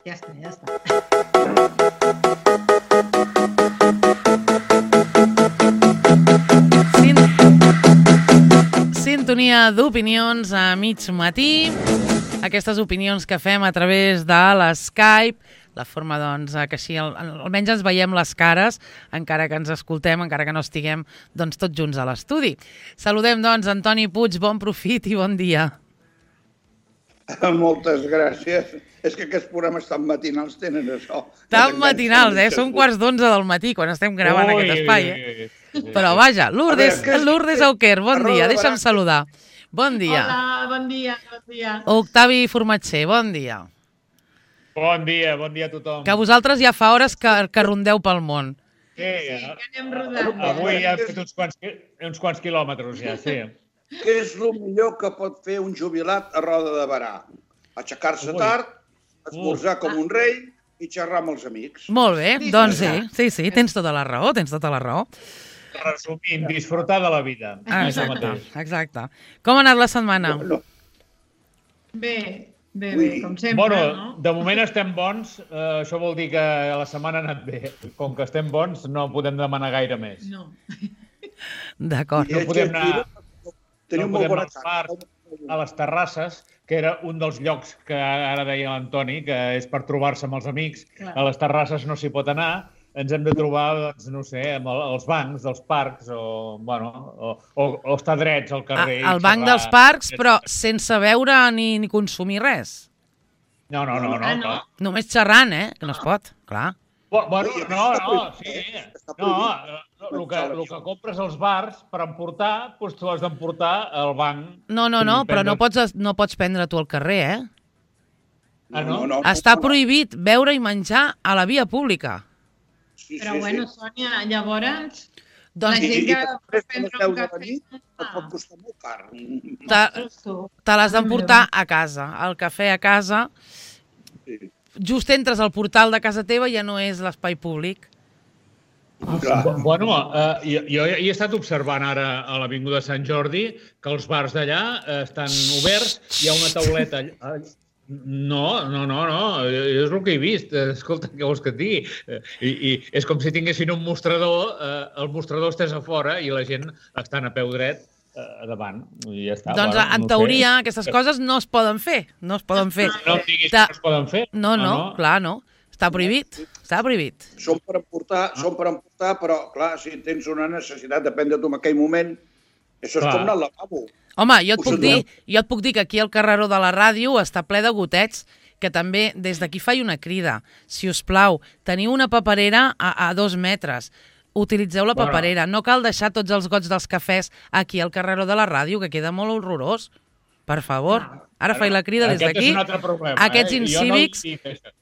Ja està. Sintonia d'opinions a mig matí. Aquestes opinions que fem a través de l'Skype, la forma doncs, que així almenys ens veiem les cares, encara que ens escoltem, encara que no estiguem doncs, tots junts a l'estudi. Saludem doncs Antoni Puig, bon profit i bon dia. Moltes gràcies. És que aquests programes tan matinals tenen això. Tan matinals, Són 11:15 del matí quan estem gravant aquest espai. Però vaja, Lourdes Auquer, bon dia, deixa'm saludar. Bon dia. Hola, bon dia. Octavi Formatger, bon dia. Bon dia a tothom. Que vosaltres ja fa hores que rondeu pel món. Sí, que anem rodant. Avui ja hem fet uns quants quilòmetres, ja, sí. Què és el millor que pot fer un jubilat a Roda de Berà? Aixecar-se tard, esmorzar com un rei i xerrar amb els amics. Molt bé, doncs sí, tens tota la raó, Resumint, disfrutar de la vida. Exacte. Com ha anat la setmana? Bé, com sempre, Bueno, de moment estem bons, això vol dir que la setmana ha anat bé. Com que estem bons, no podem demanar gaire més. No. D'acord. No podem anar als bars, a les terrasses, que era un dels llocs que ara deia l'Antoni, que és per trobar-se amb els amics. A les terrasses no s'hi pot anar, ens hem de trobar, doncs, no sé, amb els bancs dels parcs o estar drets al carrer. Al banc dels parcs, però sense beure ni consumir res. No, clar. Només xerrant, que no es pot, clar. Bueno, sí. El que compres als bars per emportar, doncs tu has d'emportar al banc. No, però no pots prendre tu al carrer, No. Està prohibit beure i menjar a la via pública. Però bueno, Sònia, llavors... Doncs la gent que després de les 10 de la nit et pot costar molt car. te l'has d'emportar a casa. El cafè a casa, just entres al portal de casa teva, ja no és l'espai públic. Bueno, jo he estat observant ara a l'Avinguda de Sant Jordi que els bars d'allà estan oberts, hi ha una tauleta allà. No, és el que he vist. Escolta, què vols que et digui? I és com si tinguessin un mostrador, el mostrador estàs a fora i la gent estan a peu dret a davant. I ja està. Doncs en teoria aquestes coses no es poden fer. No es poden fer. No em diguis que no es poden fer. No, clar, no. Està prohibit. Són per emportar, però clar, si tens una necessitat, depèn de tu en aquell moment, això és com anar al lavabo. Home, jo et puc dir que aquí al carreró de la ràdio està ple de gotets, que també des d'aquí faig una crida. Si us plau, teniu una paperera a 2 metres. Utilitzeu la paperera. No cal deixar tots els gots dels cafès aquí al carreró de la ràdio, que queda molt horrorós. Per favor. Ara faig la crida des d'aquí. Aquests incívics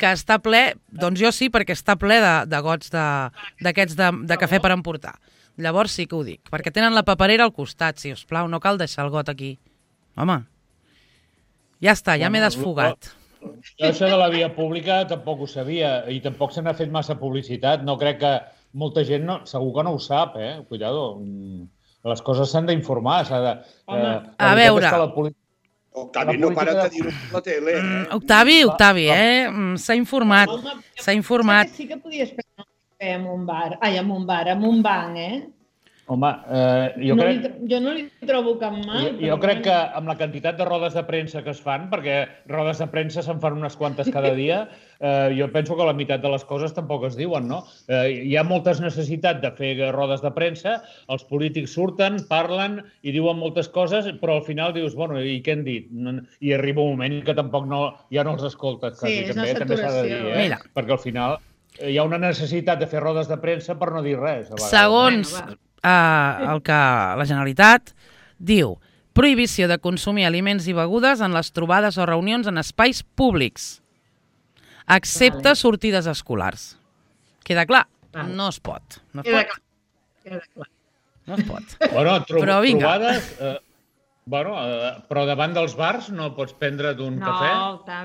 que està ple, doncs jo sí, perquè està ple de gots d'aquests de cafè per emportar. Llavors sí que ho dic, perquè tenen la paperera al costat, si us plau, no cal deixar el got aquí. Home, ja està, ja m'he desfogat. Jo això de la via pública tampoc ho sabia i tampoc se n'ha fet massa publicitat. No crec que molta gent, segur que no ho sap, Cuidado, les coses s'han d'informar. A veure... Octavi, no para de dir-ho per la tele. Octavi, s'ha informat. Sí que podies prendre un cafè en un banc, Home, jo no li trobo cap mal. Jo crec que amb la quantitat de rodes de premsa que es fan, perquè rodes de premsa se'n fan unes quantes cada dia, jo penso que la meitat de les coses tampoc es diuen, no? Hi ha moltes necessitats de fer rodes de premsa, els polítics surten, parlen i diuen moltes coses, però al final dius, bueno, i què han dit? I arriba un moment que tampoc ja no els escoltes. Sí, és una saturació. Perquè al final hi ha una necessitat de fer rodes de premsa per no dir res. Segons el que la Generalitat diu, prohibició de consumir aliments i begudes en les trobades o reunions en espais públics, excepte sortides escolars. Queda clar? No es pot. Queda clar. No es pot. Bueno, però vinga. Trobades... però davant dels bars no pots prendre d'un cafè?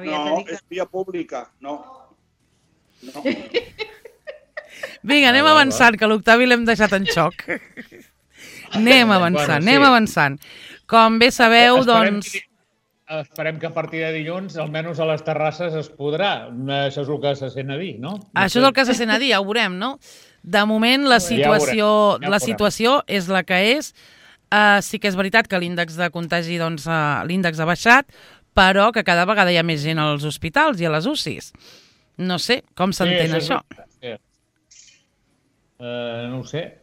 No, és via pública, no. Vinga, anem avançant, que l'Octavi l'hem deixat en xoc. Anem avançant. Com bé sabeu, doncs... esperem que a partir de dilluns, almenys a les terrasses, es podrà. Això és el que se sent a dir, no? Això és el que se sent a dir, ja ho veurem, no? De moment, la situació és la que és. Sí que és veritat que l'índex de contagi, doncs, l'índex ha baixat, però que cada vegada hi ha més gent als hospitals i a les UCIs. No sé, com s'entén això? No ho sé.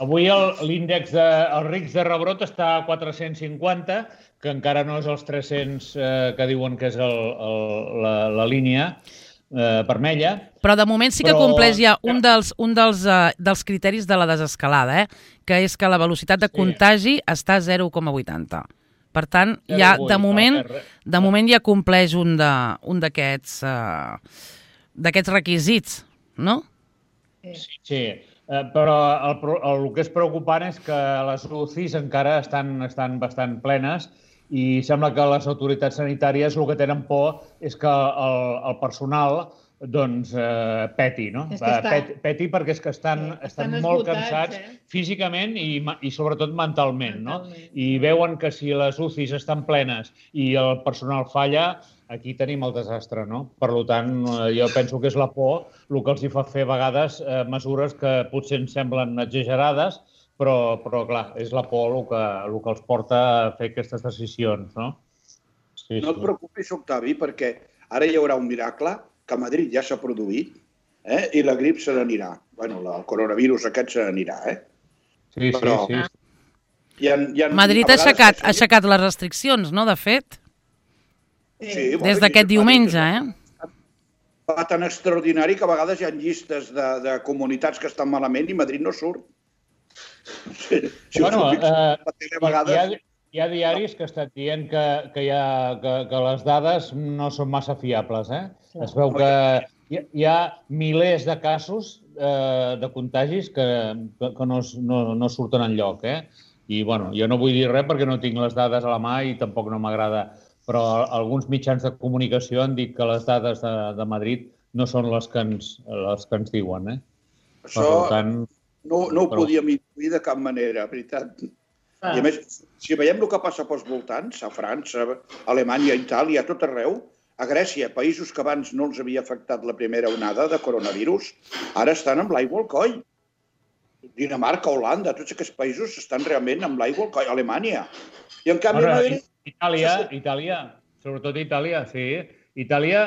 Avui l'índex dels rics de rebrot està a 450, que encara no és els 300 que diuen que és la línia vermella. Però de moment sí que compleix ja un dels criteris de la desescalada, que és que la velocitat de contagi està a 0,80. Per tant, ja de moment ja compleix un d'aquests requisits, no? Sí, però el que és preocupant és que les UCIs encara estan bastant plenes i sembla que les autoritats sanitàries el que tenen por és que el personal peti, no? Peti perquè és que estan molt cansats físicament i sobretot mentalment, no? I veuen que si les UCIs estan plenes i el personal falla, aquí tenim el desastre, no? Per tant, jo penso que és la por el que els hi fa fer a vegades mesures que potser ens semblen exagerades, però clar, és la por el que els porta a fer aquestes decisions, no? No et preocupis, Octavi, perquè ara hi haurà un miracle que a Madrid ja s'ha produït i la grip se n'anirà. Bé, el coronavirus aquest se n'anirà, Sí. Madrid ha aixecat les restriccions, no, de fet? Des d'aquest diumenge, Va tan extraordinari que a vegades hi ha llistes de comunitats que estan malament i Madrid no surt. Hi ha diaris que estan dient que les dades no són massa fiables. Es veu que hi ha milers de casos de contagis que no surten enlloc. I jo no vull dir res perquè no tinc les dades a la mà i tampoc no m'agrada, però alguns mitjans de comunicació han dit que les dades de Madrid no són les que ens diuen. Això no ho podíem intuir de cap manera, veritat. I a més, si veiem el que passa pels voltants, a França, a Alemanya, a Itàlia, a tot arreu, a Grècia, països que abans no els havia afectat la primera onada de coronavirus, ara estan amb l'aigua al coll. Dinamarca, Holanda, tots aquests països estan realment amb l'aigua al coll. Alemanya. I en canvi... Itàlia, sobretot Itàlia, sí. Itàlia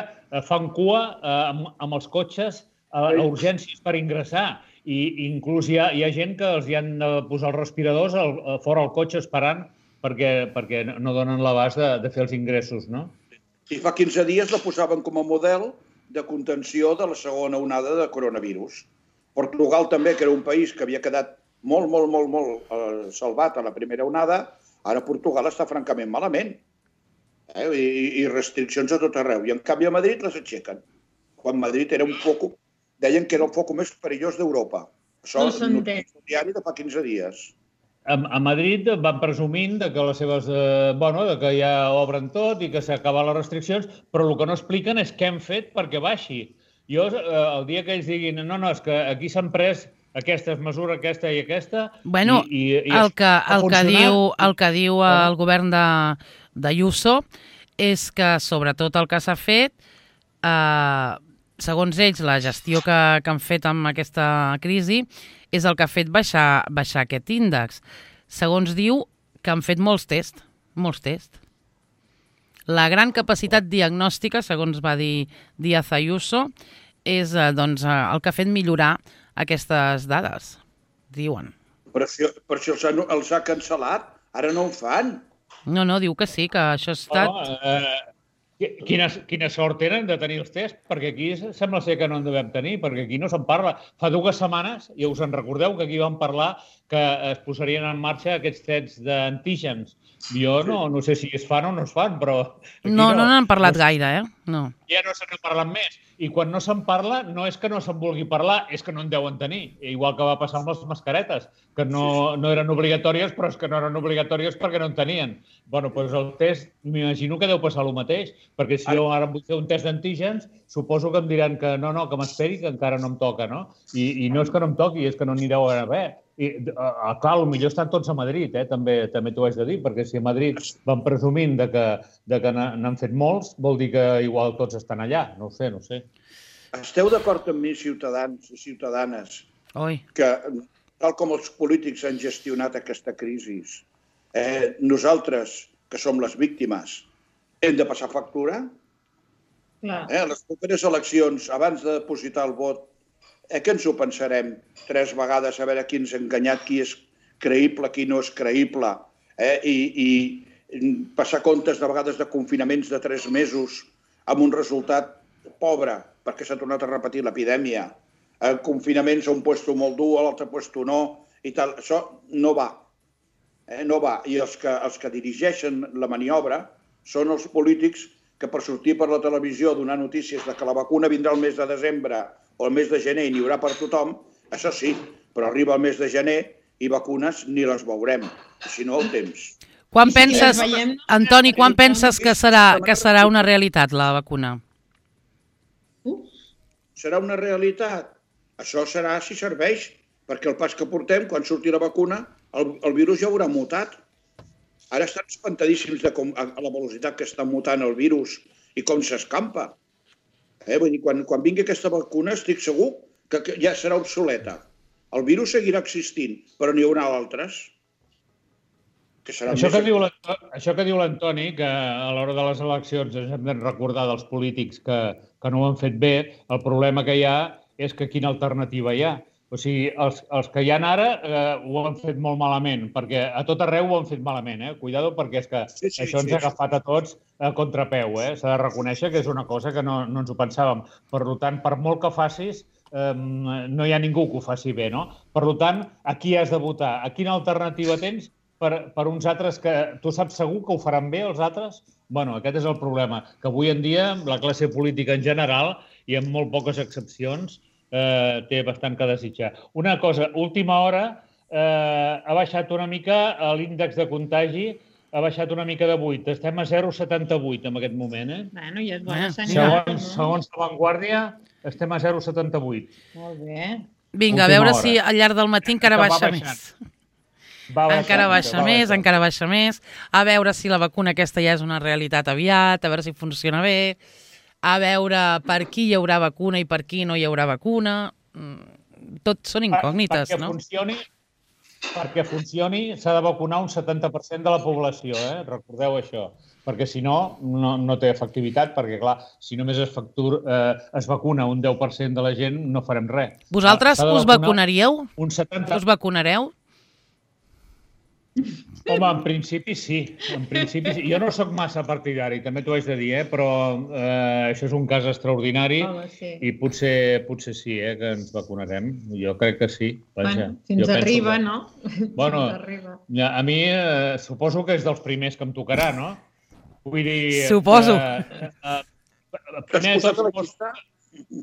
fan cua amb els cotxes a urgències per ingressar. I inclús hi ha gent que els hi han de posar els respiradors fora al cotxe esperant perquè no donen l'abast de fer els ingressos, no? I fa 15 dies la posaven com a model de contenció de la segona onada de coronavirus. Portugal també, que era un país que havia quedat molt salvat a la primera onada, ara Portugal està francament malament. I restriccions a tot arreu. I en canvi a Madrid les aixequen. Quan Madrid era deien que era el foc més perillós d'Europa. Això és un diari de fa 15 dies. A Madrid van presumint que les seves... que ja obren tot i que s'acaben les restriccions, però el que no expliquen és què han fet perquè baixi. Jo, el dia que ells diguin no, és que aquí s'han pres aquestes mesures, aquesta i aquesta... Bueno, el que diu el govern d'Ayuso és que, sobretot, el que s'ha fet, segons ells, la gestió que han fet amb aquesta crisi és el que ha fet baixar aquest índex. Segons diu, que han fet molts tests. La gran capacitat diagnòstica, segons va dir Díaz Ayuso, és el que ha fet millorar aquestes dades, diuen. Però si els ha cancel·lat, ara no ho fan. No, diu que sí, que això ha estat... Quina sort tenen de tenir els tests, perquè aquí sembla ser que no en devem tenir, perquè aquí no se'n parla. Fa 2 setmanes, ja us en recordeu, que aquí vam parlar que es posarien en marxa aquests tests d'antígens. Jo no sé si es fan o no es fan, però... No n'han parlat gaire, No. Ja no se n'ha parlat més. I quan no se'n parla, no és que no se'n vulgui parlar, és que no en deuen tenir. Igual que va passar amb les mascaretes, que no eren obligatòries, però és que no eren obligatòries perquè no en tenien. Bueno, doncs el test, m'imagino que deu passar el mateix, perquè si jo ara vull fer un test d'antígens, suposo que em diran que no, que m'esperi, que encara no em toca, no? I no és que no em toqui, és que no n'hi deu haver. Clar, potser estan tots a Madrid, també t'ho haig de dir, perquè si a Madrid van presumint de que n'han fet molts, vol dir que igual tots estan allà. No ho sé. Esteu d'acord amb mi, ciutadans i ciutadanes, que tal com els polítics han gestionat aquesta crisi, nosaltres, que som les víctimes, hem de passar factura? Les properes eleccions, abans de depositar el vot, que ens ho pensarem 3 vegades a veure qui ens ha enganyat, qui és creïble, qui no és creïble, i passar comptes de vegades de confinaments de 3 mesos amb un resultat pobre, perquè s'ha tornat a repetir l'epidèmia, confinaments a un puesto molt dur, a l'altre puesto no, i tal. Això no va. No va. I els que dirigeixen la maniobra són els polítics que per sortir per la televisió a donar notícies de que la vacuna vindrà el mes de desembre o el mes de gener i n'hi haurà per tothom, això sí, però arriba el mes de gener i vacunes ni les veurem, si no el temps. Quan penses, Antoni, quan penses que serà una realitat la vacuna? Serà una realitat? Això serà si serveix, perquè el pas que portem, quan surti la vacuna, el virus ja haurà mutat. Ara estan espantadíssims a la velocitat que està mutant el virus i com s'escampa. Vull dir, quan vingui aquesta vacuna estic segur que ja serà obsoleta. El virus seguirà existint, però n'hi haurà altres. Això que diu l'Antoni, que a l'hora de les eleccions ens hem de recordar dels polítics que no ho han fet bé, el problema que hi ha és que quina alternativa hi ha. O sigui, els que hi ha ara ho han fet molt malament, perquè a tot arreu ho han fet malament. Cuidado, perquè és que això ens ha agafat a tots a contrapeu. S'ha de reconèixer que és una cosa que no ens ho pensàvem. Per tant, per molt que facis, no hi ha ningú que ho faci bé, no? Per tant, a qui has de votar? A quina alternativa tens per uns altres que tu saps segur que ho faran bé, els altres? Bueno, aquest és el problema, que avui en dia la classe política en general, i amb molt poques excepcions, té bastant que desitjar. Una cosa, última hora, ha baixat una mica l'índex de contagi, ha baixat una mica de 8. Estem a 0,78 en aquest moment. Bueno, ja és bona senyal. Segons La Vanguardia, estem a 0,78. Molt bé. Vinga, a veure si al llarg del matí encara baixa més. Encara baixa més. A veure si la vacuna aquesta ja és una realitat aviat, a veure si funciona bé, a veure per qui hi haurà vacuna i per qui no hi haurà vacuna. Tot són incògnites, no? Perquè funcioni s'ha de vacunar un 70% de la població, recordeu això. Perquè si no, no té efectivitat, perquè clar, si només es vacuna un 10% de la gent, no farem res. Vosaltres us vacunaríeu? Un 70%. Us vacunareu? Home, en principi sí. Jo no sóc massa partidari, també t'ho haig de dir, però això és un cas extraordinari i potser sí, que ens vacunarem. Jo crec que sí. Fins arriba, no? Bueno, a mi suposo que és dels primers que em tocarà, no? Vull dir... Suposo.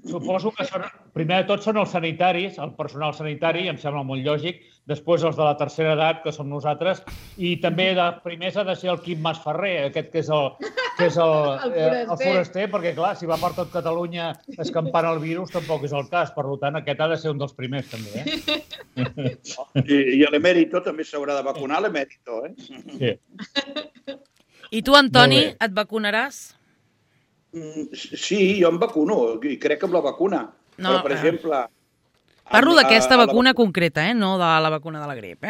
Suposo que primer de tot són els sanitaris, el personal sanitari, em sembla molt lògic, després els de la tercera edat, que som nosaltres, i també de primers ha de ser el Quim Masferrer, aquest que és el foraster, perquè clar, si va per tot Catalunya escampant el virus tampoc és el cas, per tant aquest ha de ser un dels primers també. I l'emèrito també s'haurà de vacunar, l'emèrito, Sí. I tu, Antoni, et vacunaràs? Sí, jo em vacuno i crec amb la vacuna. Però, per exemple... Parlo d'aquesta vacuna concreta, no de la vacuna de la grip,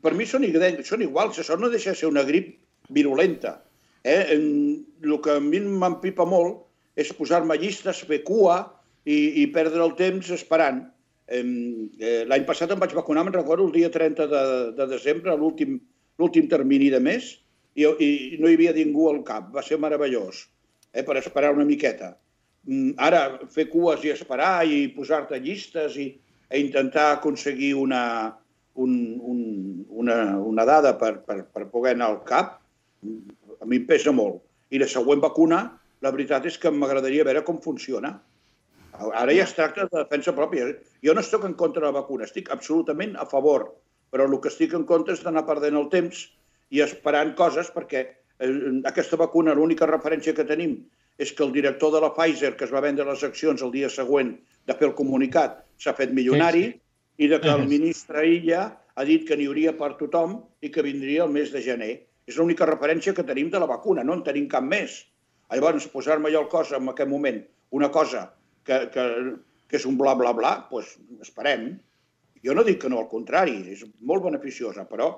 Per mi són iguals, això no deixa de ser una grip virulenta. El que a mi m'empipa molt és posar-me llistes, fer cua i perdre el temps esperant. L'any passat em vaig vacunar, me'n recordo, el dia 30 de desembre, l'últim termini de mes, i no hi havia ningú al cap. Va ser meravellós, per esperar una miqueta. Ara, fer cues i esperar i posar-te llistes i intentar aconseguir una dada per poder anar al cap, a mi em pesa molt. I la següent vacuna, la veritat és que m'agradaria veure com funciona. Ara ja es tracta de defensa pròpia. Jo no estic en contra de la vacuna, estic absolutament a favor, però el que estic en contra és d'anar perdent el temps i esperant coses, perquè aquesta vacuna, l'única referència que tenim és que el director de la Pfizer, que es va vendre les accions el dia següent de fer el comunicat, s'ha fet milionari, i que el ministre Illa ha dit que n'hi hauria per tothom i que vindria el mes de gener. És l'única referència que tenim de la vacuna, no en tenim cap més. Llavors, posar-me jo al cos en aquest moment una cosa que és un bla, bla, bla, doncs esperem. Jo no dic que no, al contrari, és molt beneficiosa, però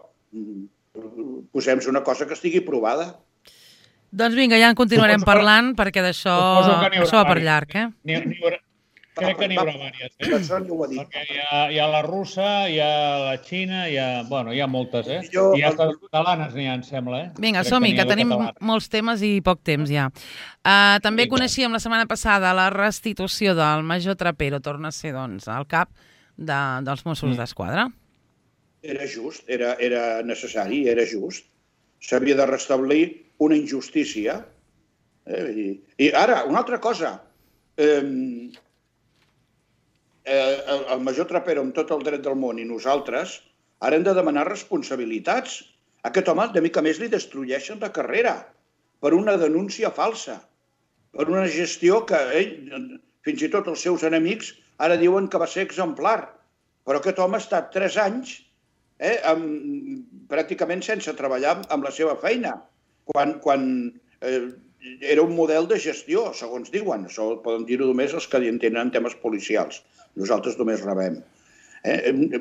posem-se una cosa que estigui provada. Doncs vinga, ja en continuarem parlant, perquè d'això va per llarg, Crec que n'hi haurà diverses, perquè hi ha la russa, hi ha la xina, hi ha moltes, I hasta les catalanes n'hi ha, em sembla, Vinga, som-hi, que tenim molts temes i poc temps ja. També coneixíem la setmana passada la restitució del major Trapero, torna a ser, doncs, al cap dels Mossos d'Esquadra. Era just, era necessari, era just. S'havia de restablir una injustícia. I ara, una altra cosa. El major Trapero amb tot el dret del món i nosaltres ara hem de demanar responsabilitats. A aquest home, de mica més, li destrueixen la carrera per una denúncia falsa, per una gestió que ell, fins i tot els seus enemics, ara diuen que va ser exemplar. Però aquest home ha estat 3 anys pràcticament sense treballar amb la seva feina, quan era un model de gestió, segons diuen. Això poden dir-ho només els que entenen temes policials. Nosaltres només rebem.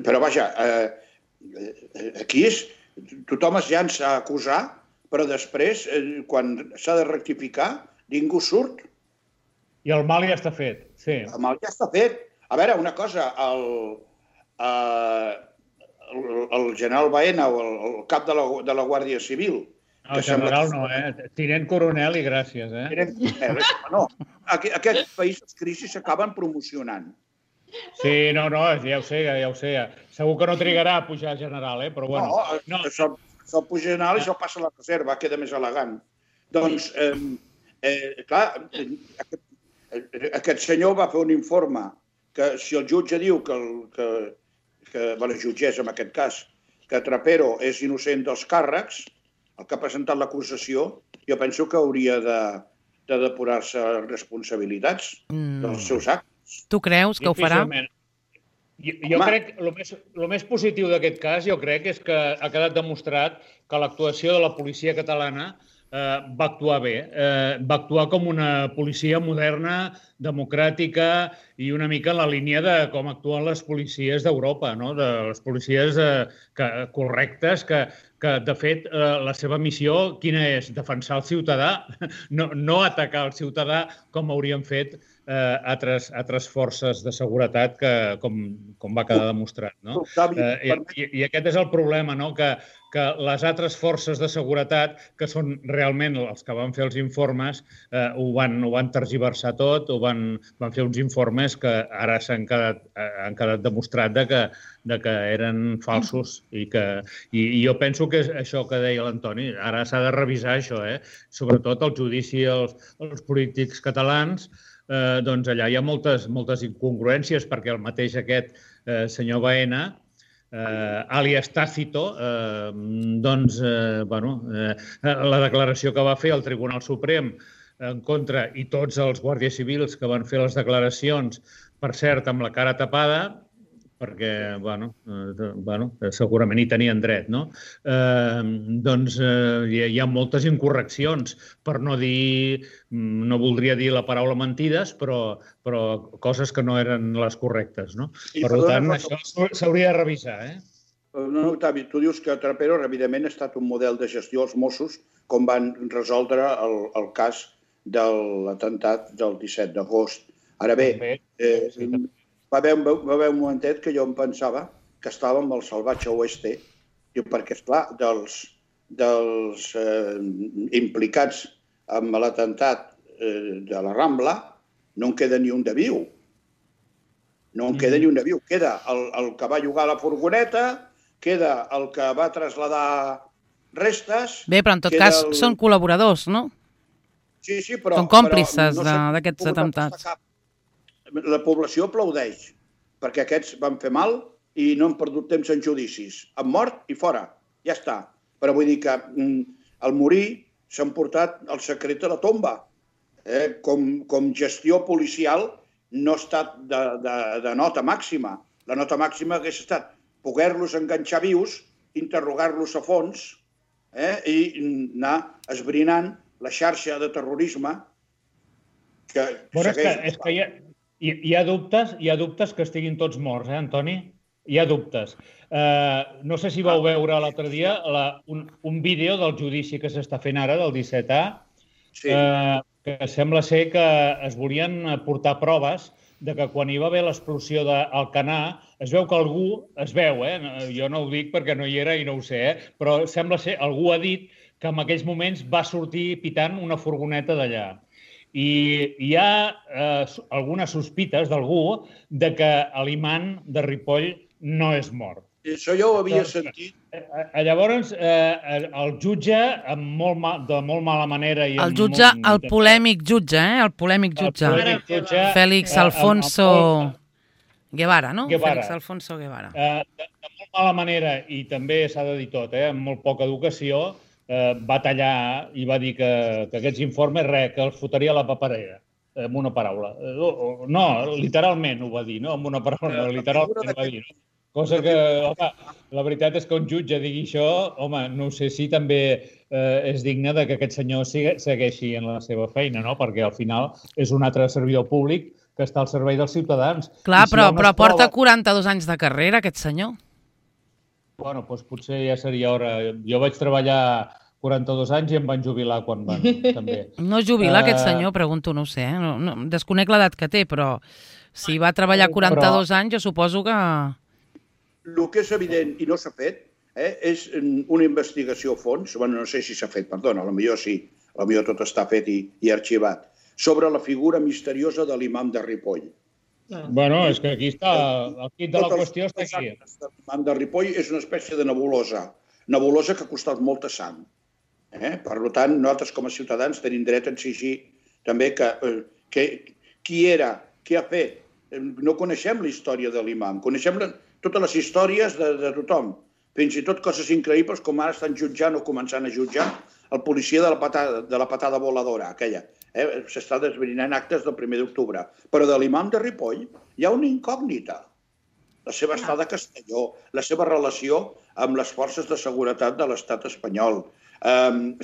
Però vaja, aquí tothom es llança a acusar, però després, quan s'ha de rectificar, ningú surt. I el mal ja està fet, sí. El mal ja està fet. A veure, una cosa, el general Baena, o el cap de la Guàrdia Civil... El general no, tinent coronel i gràcies, Tinent coronel, no. Aquest país, les crisis s'acaben promocionant. Sí, no, ja ho sé. Segur que no trigarà a pujar general, però bueno. No, això puja general i això passa a la reserva, queda més elegant. Doncs, clar, aquest senyor va fer un informe que si el jutge diu la jutgessa en aquest cas, que Trapero és innocent dels càrrecs, el que ha presentat l'acusació, jo penso que hauria de depurar-se responsabilitats dels seus actes. Tu creus que ho farà? Jo crec que el més positiu d'aquest cas, jo crec, és que ha quedat demostrat que l'actuació de la policia catalana va actuar bé. Va actuar com una policia moderna, democràtica i una mica en la línia de com actuen les policies d'Europa, de les policies correctes que, de fet, la seva missió, quina és? Defensar el ciutadà, no atacar el ciutadà com haurien fet altres forces de seguretat com va quedar demostrat. I aquest és el problema, que les altres forces de seguretat, que són realment els que van fer els informes, ho van tergiversar tot, van fer uns informes que ara han quedat demostrat que eren falsos. I jo penso que és això que deia l'Antoni, ara s'ha de revisar això, sobretot el judici als polítics catalans. Doncs allà hi ha moltes incongruències, perquè el mateix aquest senyor Baena, àlies Tácito, doncs, la declaració que va fer el Tribunal Suprem en contra, i tots els guàrdies civils que van fer les declaracions, per cert, amb la cara tapada, perquè, segurament hi tenien dret, no? Doncs hi ha moltes incorreccions, per no dir, no voldria dir la paraula mentides, però coses que no eren les correctes, no? Per tant, això s'hauria de revisar, No, Octavi, tu dius que Trapero, evidentment, ha estat un model de gestió als Mossos, com van resoldre el cas de l'atemptat del 17 d'agost. Ara bé, va haver un momentet que jo em pensava que estàvem al salvatge oeste, perquè, esclar, dels implicats en l'atemptat de la Rambla no en queda ni un de viu. No en queda ni un de viu. Queda el que va llogar la furgoneta, queda el que va traslladar restes... Bé, però en tot cas són col·laboradors, no? Sí, però... Són còmplices d'aquests atemptats. La població aplaudeix, perquè aquests van fer mal i no han perdut temps en judicis. Han mort i fora, ja està. Però vull dir que al morir s'han portat el secret a la tomba. Com gestió policial no ha estat de nota màxima. La nota màxima hagués estat poder-los enganxar vius, interrogar-los a fons i anar esbrinant la xarxa de terrorisme que segueix. És que hi ha dubtes que estiguin tots morts, Antoni? Hi ha dubtes. No sé si vau veure l'altre dia un vídeo del judici que s'està fent ara, del 17A, que sembla ser que es volien portar proves de que quan hi va haver l'explosió d'Alcanar, es veu que algú, jo no ho dic perquè no hi era i no ho sé, però sembla ser, algú ha dit que en aquells moments va sortir pitant una furgoneta d'allà. I hi ha algunes sospites d'algú de que l'imant de Ripoll no és mort. Això ja ho havia sentit. Llavors, el jutge, de molt mala manera... El jutge, el polèmic jutge, el polèmic jutge. Félix Alfonso Guevara, no? Félix Alfonso Guevara. De molt mala manera, i també s'ha de dir tot, amb molt poca educació, va tallar i va dir que aquests informes, que els fotria a la paperera, amb una paraula. No, literalment ho va dir, no? Amb una paraula, literalment ho va dir. Cosa que, home, la veritat és que un jutge digui això, home, no sé si també és digne que aquest senyor segueixi en la seva feina, no? Perquè al final és un altre servidor públic que està al servei dels ciutadans. Clar, però porta 42 anys de carrera, aquest senyor. Bueno, doncs potser ja seria hora. Jo vaig treballar 42 anys i em van jubilar quan van, també. No jubila aquest senyor, pregunto, no ho sé. Desconec l'edat que té, però si va treballar 42 anys, jo suposo que... El que és evident i no s'ha fet és una investigació a fons, no sé si s'ha fet, perdona, potser sí, potser tot està fet i arxivat, sobre la figura misteriosa de l'imam de Ripoll. Bueno, és que aquí està, el quid de la qüestió està aquí. L'imam de Ripoll és una espècie de nebulosa que ha costat molta sang. Per tant, nosaltres com a ciutadans tenim dret a exigir també que qui era, què ha fet. No coneixem la història de l'imam, coneixem totes les històries de tothom, fins i tot coses increïbles com ara estan jutjant o començant a jutjar el policia de la patada voladora, aquella. S'està desbrinant actes del 1 d'octubre. Però de l'imam de Ripoll hi ha una incògnita. La seva estada a Castelló, la seva relació amb les forces de seguretat de l'estat espanyol,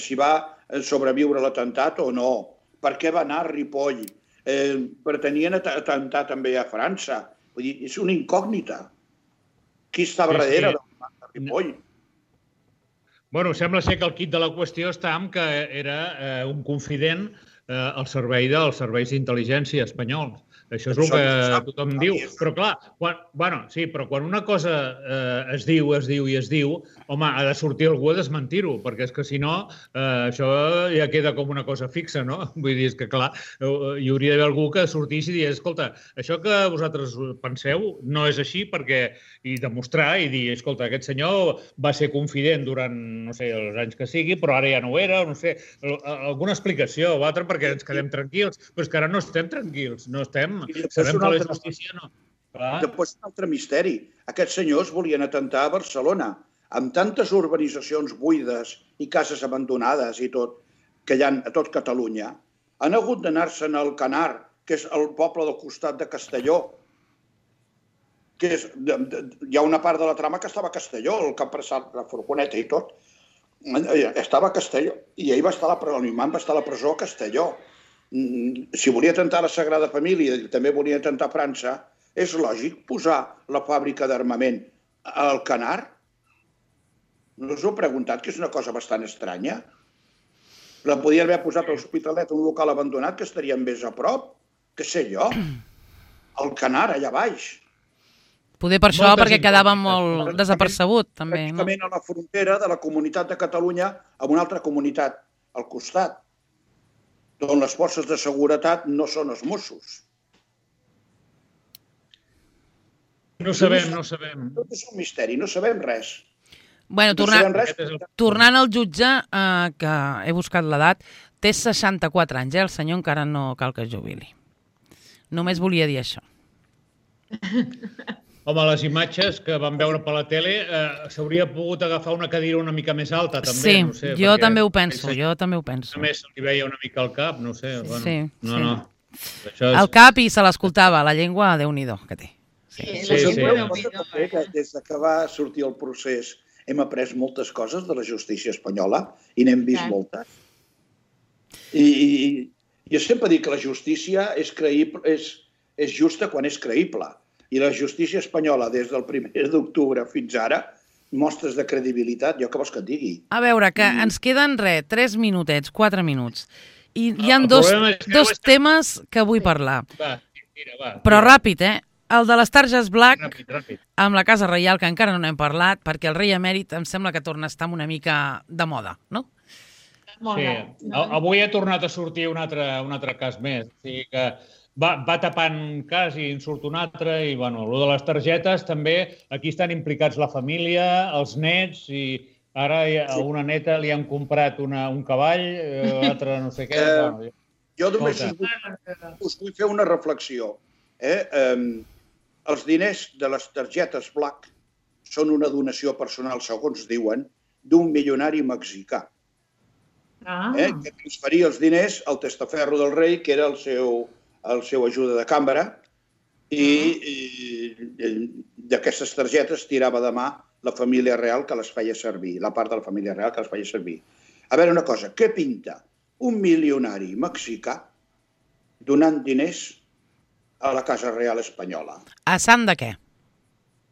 si va sobreviure l'atemptat o no, per què va anar a Ripoll, pretenien atemptar també a França. Vull dir, és una incògnita. Qui estava darrere de l'imam de Ripoll? Bueno, sembla ser que el quid de la qüestió està en que era un confident al servei dels serveis d'intel·ligència espanyols. Això és el que tothom diu. Però clar, quan una cosa es diu, home, ha de sortir algú a desmentir-ho, perquè és que si no, això ja queda com una cosa fixa, no? Vull dir, és que clar, hi hauria d'haver algú que sortís i digués, escolta, això que vosaltres penseu no és així, perquè i demostrar i dir, escolta, aquest senyor va ser confident durant, no sé, els anys que sigui, però ara ja no ho era, no sé, alguna explicació o altra perquè ens quedem tranquils, però és que ara no estem tranquils, no estem. Sabem que la justícia no. Després un altre misteri. Aquests senyors volien atemptar a Barcelona, amb tantes urbanitzacions buides i cases abandonades i tot, que hi ha a tot Catalunya. Han hagut d'anar-se'n al Canar, que és el poble del costat de Castelló. Hi ha una part de la trama que estava a Castelló, el que ha passat la furgoneta i tot. Estava a Castelló i ell l'imam va estar a la presó a Castelló. Si volia atemptar la Sagrada Família i també volia atemptar França, és lògic posar la fàbrica d'armament al Canar? No us heu preguntat que és una cosa bastant estranya? La podien haver posat a l'Hospitalet, un local abandonat, que estaria més a prop, què sé jo, al Canar, allà baix. Poder per això, perquè quedava molt desapercebut, també. Pràcticament a la frontera de la Comunitat de Catalunya amb una altra comunitat al costat, on les forces de seguretat no són els Mossos. No sabem. Tot és un misteri, no sabem res. Bueno, tornant al jutge, que he buscat l'edat, té 64 anys, el senyor encara no cal que es jubili. Només volia dir això. Home, les imatges que vam veure per la tele s'hauria pogut agafar una cadira una mica més alta, també. Sí, no sé, jo també ho penso, Només se li veia una mica al cap, no sé. Sí. No. El cap i se l'escoltava, la llengua, Déu-n'hi-do, que té. Des que va sortir el procés hem après moltes coses de la justícia espanyola i n'hem vist moltes. I jo sempre dic que la justícia és justa quan és creïble. I la justícia espanyola, des del 1 d'octubre fins ara, mostres de credibilitat, jo què vols que et digui? A veure, que ens queden 3 minutets, 4 minuts. I hi ha dos temes que vull parlar. Va. Però ràpid, El de les targes Black, amb la Casa Reial, que encara no n'hem parlat, perquè el rei emèrit em sembla que torna a estar una mica de moda, no? Sí, avui ha tornat a sortir un altre cas més. O sigui que va tapant un cas i en surt un altre. I, bueno, el de les targetes també, aquí estan implicats la família, els nets, i ara a una neta li han comprat un cavall, l'altre no sé què. Jo només us vull fer una reflexió. Els diners de les targetes Black són una donació personal, segons diuen, d'un milionari mexicà. Que transferia els diners al testaferro del rei, que era el seu ajuda de cambra, i d'aquestes targetes tirava de mà la família real que les feia servir, la part de la família real que les feia servir. A veure una cosa, què pinta un milionari mexicà donant diners a la Casa Real espanyola? A sant de què?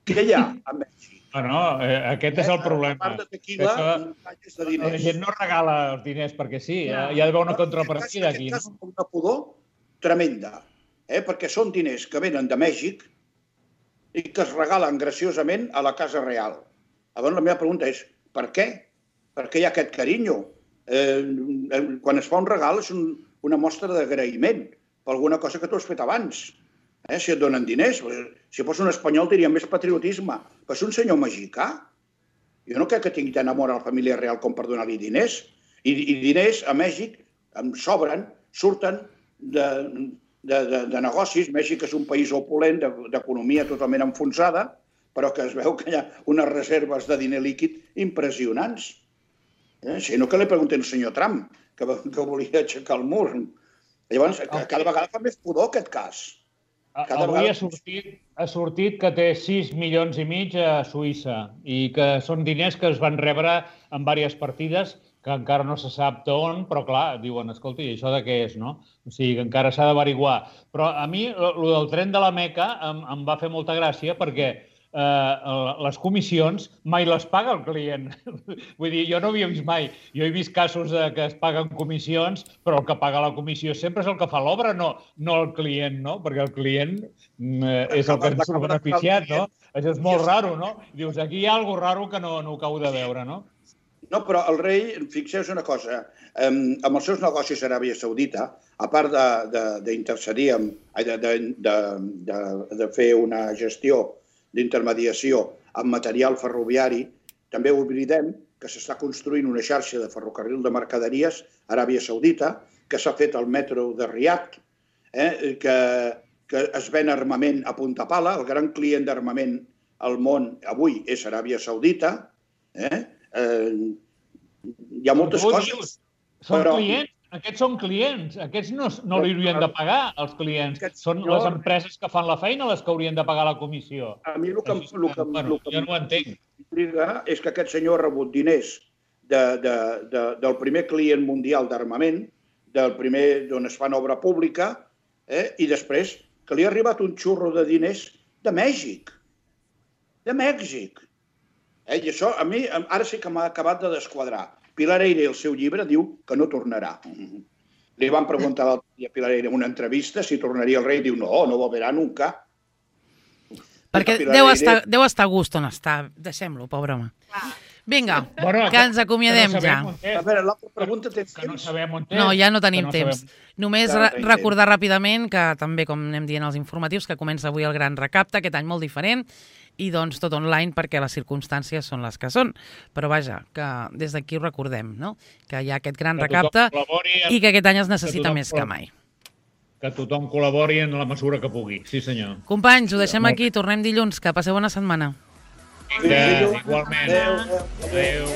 Què hi ha a Mèxic? No, aquest és el problema. A part de tequila, muntanyes de diners. La gent no regala els diners perquè sí, hi ha d'haver una contrapartida aquí. És una pudor tremenda, perquè són diners que venen de Mèxic i que es regalen graciosament a la Casa Real. Llavors la meva pregunta és, per què? Per què hi ha aquest carinyo? Quan es fa un regal és una mostra d'agraïment per alguna cosa que tu has fet abans. Si et donen diners, si fos un espanyol diria més patriotisme, però és un senyor mexicà. Jo no crec que tingui tant amor a la família real com per donar-li diners. I diners a Mèxic em sobren, surten de negocis. Mèxic és un país opulent, d'economia totalment enfonsada, però que es veu que hi ha unes reserves de diner líquid impressionants. Si no, que li pregunten al senyor Trump, que volia aixecar el mur. Llavors, cada vegada fa més pudor aquest cas. Avui ha sortit que té 6 milions i mig a Suïssa i que són diners que es van rebre en diverses partides que encara no se sap d'on, però clar, diuen, escolta, i això de què és, no? O sigui, que encara s'ha d'averiguar. Però a mi, el del tren de la Meca em va fer molta gràcia perquè les comissions mai les paga el client. Vull dir, jo no havia vist mai. Jo he vist casos que es paguen comissions, però el que paga la comissió sempre és el que fa l'obra, no el client, no? Perquè el client és el que ens surt beneficiat, no? Això és molt raro, no? Dius, aquí hi ha alguna cosa raro que no ho acabo de veure, no? No, però el rei, fixeu-vos una cosa, amb els seus negocis a Aràbia Saudita, a part d'intercedir, de fer una gestió d'intermediació amb material ferroviari, també oblidem que s'està construint una xarxa de ferrocarril de mercaderies a Aràbia Saudita, que s'ha fet el metro de Riad, que es ven armament a punta pala. El gran client d'armament al món avui és Aràbia Saudita. Hi ha moltes coses. Són clients? Aquests són clients. Aquests no li haurien de pagar, els clients. Són les empreses que fan la feina les que haurien de pagar la comissió. A mi el que jo no ho entenc. M'intriga és que aquest senyor ha rebut diners del primer client mundial d'armament, del primer d'on es fan obra pública, i després que li ha arribat un xurro de diners de Mèxic. De Mèxic. I això a mi ara sí que m'ha acabat de desquadrar. Pilar Eyre, el seu llibre, diu que no tornarà. Li van preguntar l'altre dia a Pilar Eyre en una entrevista si tornaria el rei. Diu, no volverà nunca. Perquè deu estar a gust on està. Deixem-lo, pobre home. Vinga, que ens acomiadem ja. A veure, l'altra pregunta tens temps? No, ja no tenim temps. Només recordar ràpidament que també, com anem dient als informatius, que comença avui el Gran Recapte, aquest any molt diferent, i doncs tot online perquè les circumstàncies són les que són. Però vaja, que des d'aquí ho recordem, no? Que hi ha aquest gran recapte i que aquest any es necessita més que mai. Que tothom col·labori en la mesura que pugui. Sí, senyor. Companys, ho deixem aquí. Tornem dilluns. Que passeu bona setmana. Igualment. Adéu.